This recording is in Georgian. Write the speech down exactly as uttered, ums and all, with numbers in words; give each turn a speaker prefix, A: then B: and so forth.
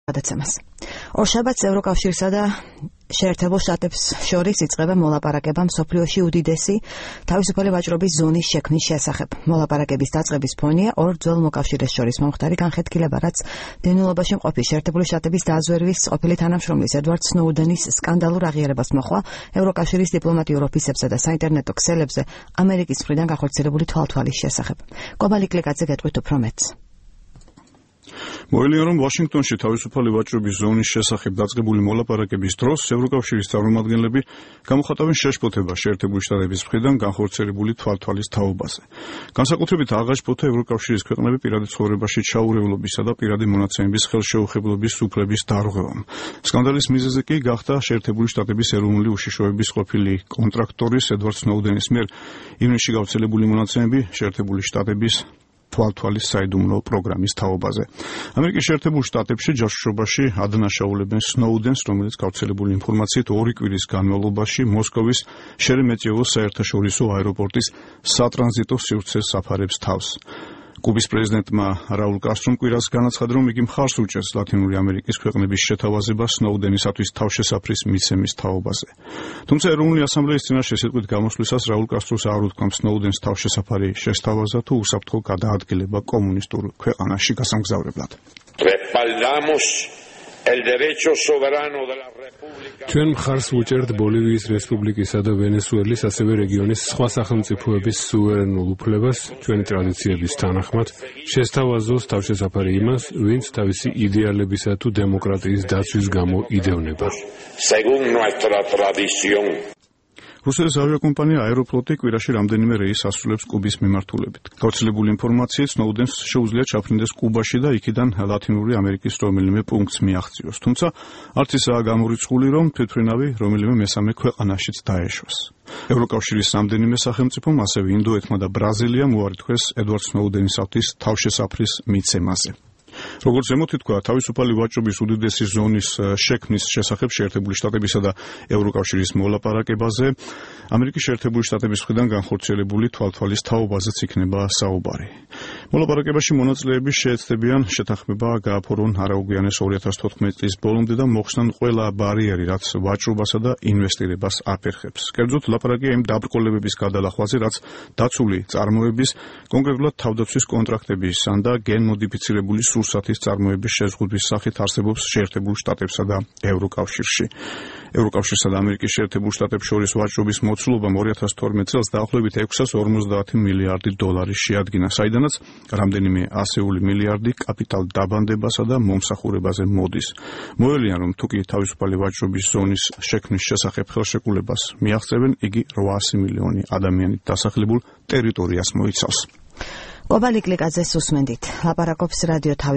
A: გადაცემას. ორ შაბათს ევროკავშირსა და შეერთებულ შტატებს შორის იწყება მოლაპარაკება მსოფლიოში უდიდესი თავისუფალი ვაჭრობის ზონის შექმნის შესახებ. მოლაპარაკების დაწყების ფონია ორ ძველ მოკავშირეს შორის მომხდარი განხეთქილება, რაც დევნილობაში მყოფი შეერთებული შტატების დაზვერვის ყოფილი თანამშრომლის ედვარდ სნოუდენის სკანდალურ აღიარებას მოჰყვა ევროკავშირის დიპლომატიურ ოფისებსა და საინტერნეტო ქსელებზე ამერიკის მხრიდან განხორციელებული თვალთვალის შესახებ. კობალი კლიკაძე გეტყვით უფრო მეტს.
B: მოელია, რომ ვაშინგტონში თავისუფალი ვაჭრობის ზონის შესახებ დაწყებული მოლაპარაკების დროს ევროკავშირის წარმომადგენლები გამოხატავენ შეშფოთებას შეერთებული შტატების მხრიდან განხორციელებული თვალთვალის თაობაზე. განსაკუთრებით აღაშფოთა ევროკავშირის ქვეყნები პირადი ცხოვრებაში ჩაურევლობისა და პირადი მონაცემების ხელშეუხებლობის უფლების დარღვევამ. სკანდალის მიზეზი კი გახდა შეერთებული შტატების ეროვნული უშიშროების ყოფილი კონტრაქტორის ედვარდ სნოუდენის მიერ ივნისში გავრცელებული მონაცემები შეერთებული შტატების თვალთვალის საიდუმლო პროგრამის თაობაზე. ამერიკის შეერთებულ შტატებში ჯაშუშობაში ადანაშაულებენ სნოუდენს, რომელიც გავრცელებული ინფორმაციით ორი კვირის განმავლობაში მოსკოვის შერემეტიევოს საერთაშორისო აეროპორტის სატრანზიტო სივრცეს საფარებს თავს. კუბის პრეზიდენტმა რაულ კასტრომ კვირას განაცხადა, რომ იგი მხარს უჭერს ლათინური ამერიკის ქვეყნების შეთავაზებას სნოუდენისათვის თავშესაფრის მიცემის თაობაზე. თუმცა ეროვნული ასამბლეის წინაშე სიტყვით გამოსვლისას რაულ კასტროს არ უთქვამ სნოუდენს თავშესაფარი შესთავაზა თუ უსაფრთხო გადაადგილება კომუნისტურ ქვეყანაში გასამგზავრებლად.
C: ჩვენ მხარს ვუჭერთ ბოლივიის რესპუბლიკისა და ვენესუელის, ასევე რეგიონის სხვა სახელმწიფოების სუვერენულ უფლებას, ჩვენი ტრადიციების თანახმად, შესთავაზოს თავშესაფარი იმას, ვინც თავისი იდეალებისა თუ დემოკრატიის დაცვის გამო იდევნება.
B: რუსეთის ავიაკომპანია აეროფლოტი კვირაში რამდენიმე რეისს ასრულებს კუბის მიმართულებით. გავრცელებული ინფორმაციით სნოუდენს შეუძლია ჩაფრინდეს კუბაში და იქიდან ლათინური ამერიკის რომელიმე პუნქტს მიაღწიოს. თუმცა არც ისაა გამორიცხული, რომ თვითმფრინავი რომელიმე მესამე ქვეყანაშიც დაეშვას. ევროკავშირის რამდენიმე სახელმწიფომ, ასევე ინდოეთმა და ბრაზილიამ უარი თქვეს ედვარდ სნოუდენისათვის თავშესაფრის მიცემაზე. როგორც ზემოთ ითქვა, თავისუფალი ვაჭრობის უდიდესი ზონის შექმნის შესახებ შეერთებული შტატებისა და ევროკავშირის მოლაპარაკებაზე ამერიკის შეერთებული შტატების მხრიდან განხორციელებული თვალთვალის თაობაზეც იქნება საუბარი. მოლაპარაკებაში მონაწილეები შეეცდებიან შეთანხმება გააფორონ არაუგვიანეს ორი ათას თოთხმეტი წლის ბოლომდე და მოხსნან ყველა ბარიერი, რაც ვაჭრობასა და ინვესტირებას აფერხებს. კერძოდ ლაპარაკია იმ დაბრკოლებების გადალახვაზე, რაც დაცული წარმოების, კონკრეტულად თავდაცვის კონტრაქტების ან და გენმოდიფიცირებული სურსათის წარმოების შეზღუდვის სახით არსებობს შეერთებულ შტატებსა და ევროკავშირში. ევროკავშირსა და ამერიკის შეერთებულ შტატებს შორის ვაჭრობის მოცულობამ ორი ათას თორმეტ წელს დაახლოებით ექვსას ორმოცდაათი მილიარდი დოლარი შეადგინა, საიდანაც რამდენიმე ასეული მილიარდი კაპიტალ დაბანდებასა და მომსახურებაზე მოდის. მოელიან, რომ თუკი თავისუფალი ვაჭრობის ზონის შექმნის შესახებ ხელშეკრულებას მიაღწევენ, იგი რვაასი მილიონი ადამიანით დასახლებულ ტერიტორიას მოიცავს.
A: კობალი კლიკაძეს უსმენდით. ლაპარაკობს რადიო თავისუფლება